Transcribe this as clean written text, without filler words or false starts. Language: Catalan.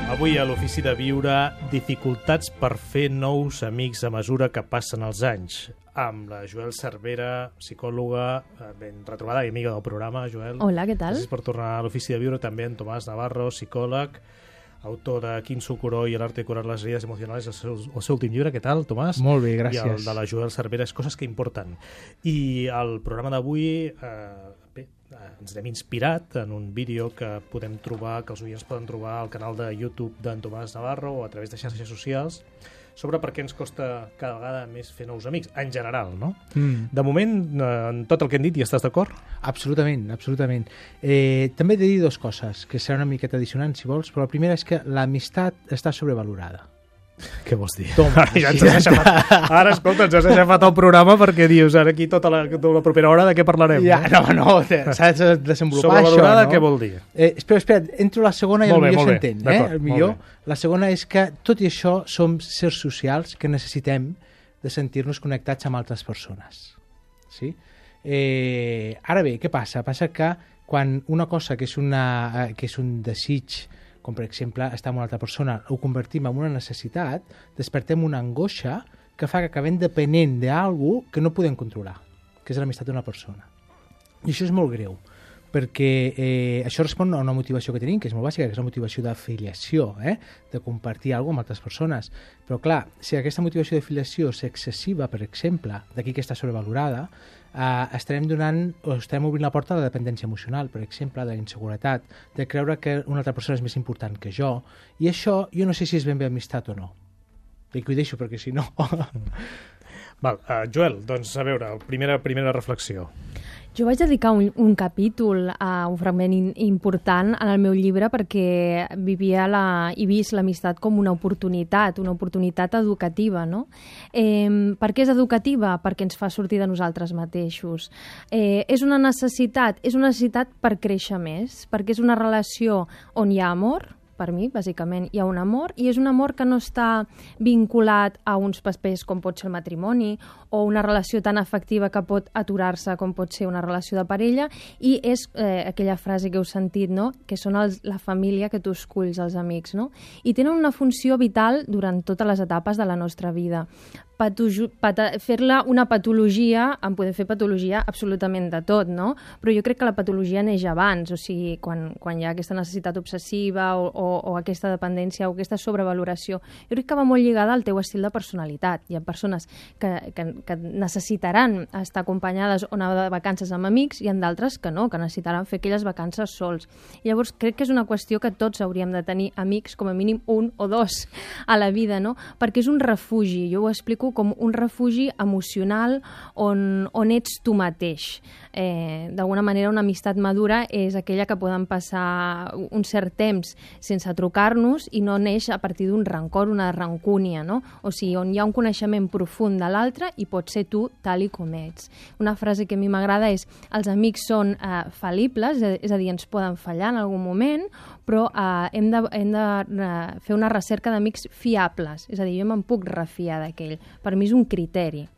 Avui a l'Ofici de Viure, dificultats per fer nous amics a mesura que passen els anys. Amb la Joel Cervera, psicòloga, ben retrobada i amiga del programa, Joel. Hola, què tal? Gràcies per tornar a l'Ofici de Viure. També en Tomàs Navarro, psicòleg, autor de Quin Socorro i l'arte de curar les heridas emocionales, el seu últim llibre. Què tal, Tomàs? Molt bé, gràcies. I el de la Joel Cervera és Coses que importen. I el programa d'avui ens hem inspirat en un vídeo que podem trobar, que els oients poden trobar al canal de YouTube d'en Tomàs Navarro o a través de xarxes socials, sobre per què ens costa cada vegada més fer nous amics, en general, no? De moment, en tot el que hem dit, hi estàs d'acord? Absolutament, absolutament. També he de dir dues coses, que seran una miqueta dissonants, si vols, però la primera és que l'amistat està sobrevalorada. Què vols dir? Toma, ja ens has aixafat. Ara, escolta, ens has aixafat el programa perquè dius, ara aquí tota la propera hora de què parlarem? Ja, no, s'ha de desenvolupar això, no? Sobrevalorada, què vol dir? Espera, entro a la segona i molt millor bé, s'entén. el millor. La segona és que, tot i això, som sers socials que necessitem de sentir-nos connectats amb altres persones. Sí? Ara bé, què passa? Passa que quan una cosa que és un desig, com per exemple estar amb una altra persona, ho convertim en una necessitat, despertem una angoixa que fa que acabem depenent d'algú que no podem controlar, que és l'amistat d'una persona. I això és molt greu, perquè això respon a una motivació que tenim, que és molt bàsica, que és la motivació d'afiliació, de compartir alguna cosa amb altres persones. Però clar, si aquesta motivació d'afiliació és excessiva, per exemple, d'aquí que està sobrevalorada, estarem obrint la porta a la dependència emocional, per exemple, de la inseguretat, de creure que una altra persona és més important que jo, i això jo no sé si és ben bé amistat o no. I que ho deixo perquè si no... Joel, doncs a veure, primera reflexió. Jo vaig dedicar un capítol a un fragment important en el meu llibre perquè vivia i vist l'amistat com una oportunitat educativa, no? Per què és educativa? Perquè ens fa sortir de nosaltres mateixos. És una necessitat per créixer més, perquè és una relació on hi ha amor. Per mi, bàsicament, hi ha un amor, i és un amor que no està vinculat a uns papers com pot ser el matrimoni o una relació tan afectiva que pot aturar-se com pot ser una relació de parella, i és aquella frase que heu sentit, no? Que són la família que tu esculls, els amics, no? I tenen una funció vital durant totes les etapes de la nostra vida. Fer-la una patologia, en podem fer patologia absolutament de tot, no? Però jo crec que la patologia neix abans, o sigui, quan hi ha aquesta necessitat obsessiva o aquesta dependència o aquesta sobrevaloració. Jo crec que va molt lligada al teu estil de personalitat. Hi ha persones que necessitaran estar acompanyades o anar de vacances amb amics, i en d'altres que no, que necessitaran fer aquelles vacances sols. Llavors crec que és una qüestió que tots hauríem de tenir amics, com a mínim un o dos a la vida, no? Perquè és un refugi, jo ho explico com un refugi emocional on ets tu mateix. D'alguna manera, una amistat madura és aquella que poden passar un cert temps sense trucar-nos i no neix a partir d'un rancor, una rancúnia, no? O sigui, on hi ha un coneixement profund de l'altre i pots ser tu tal i com ets. Una frase que a mi m'agrada és: els amics són fal·libles, és a dir, ens poden fallar en algun moment, però hem de fer una recerca d'amics fiables, és a dir, jo me'n puc refiar d'aquell. Per mi és un criteri.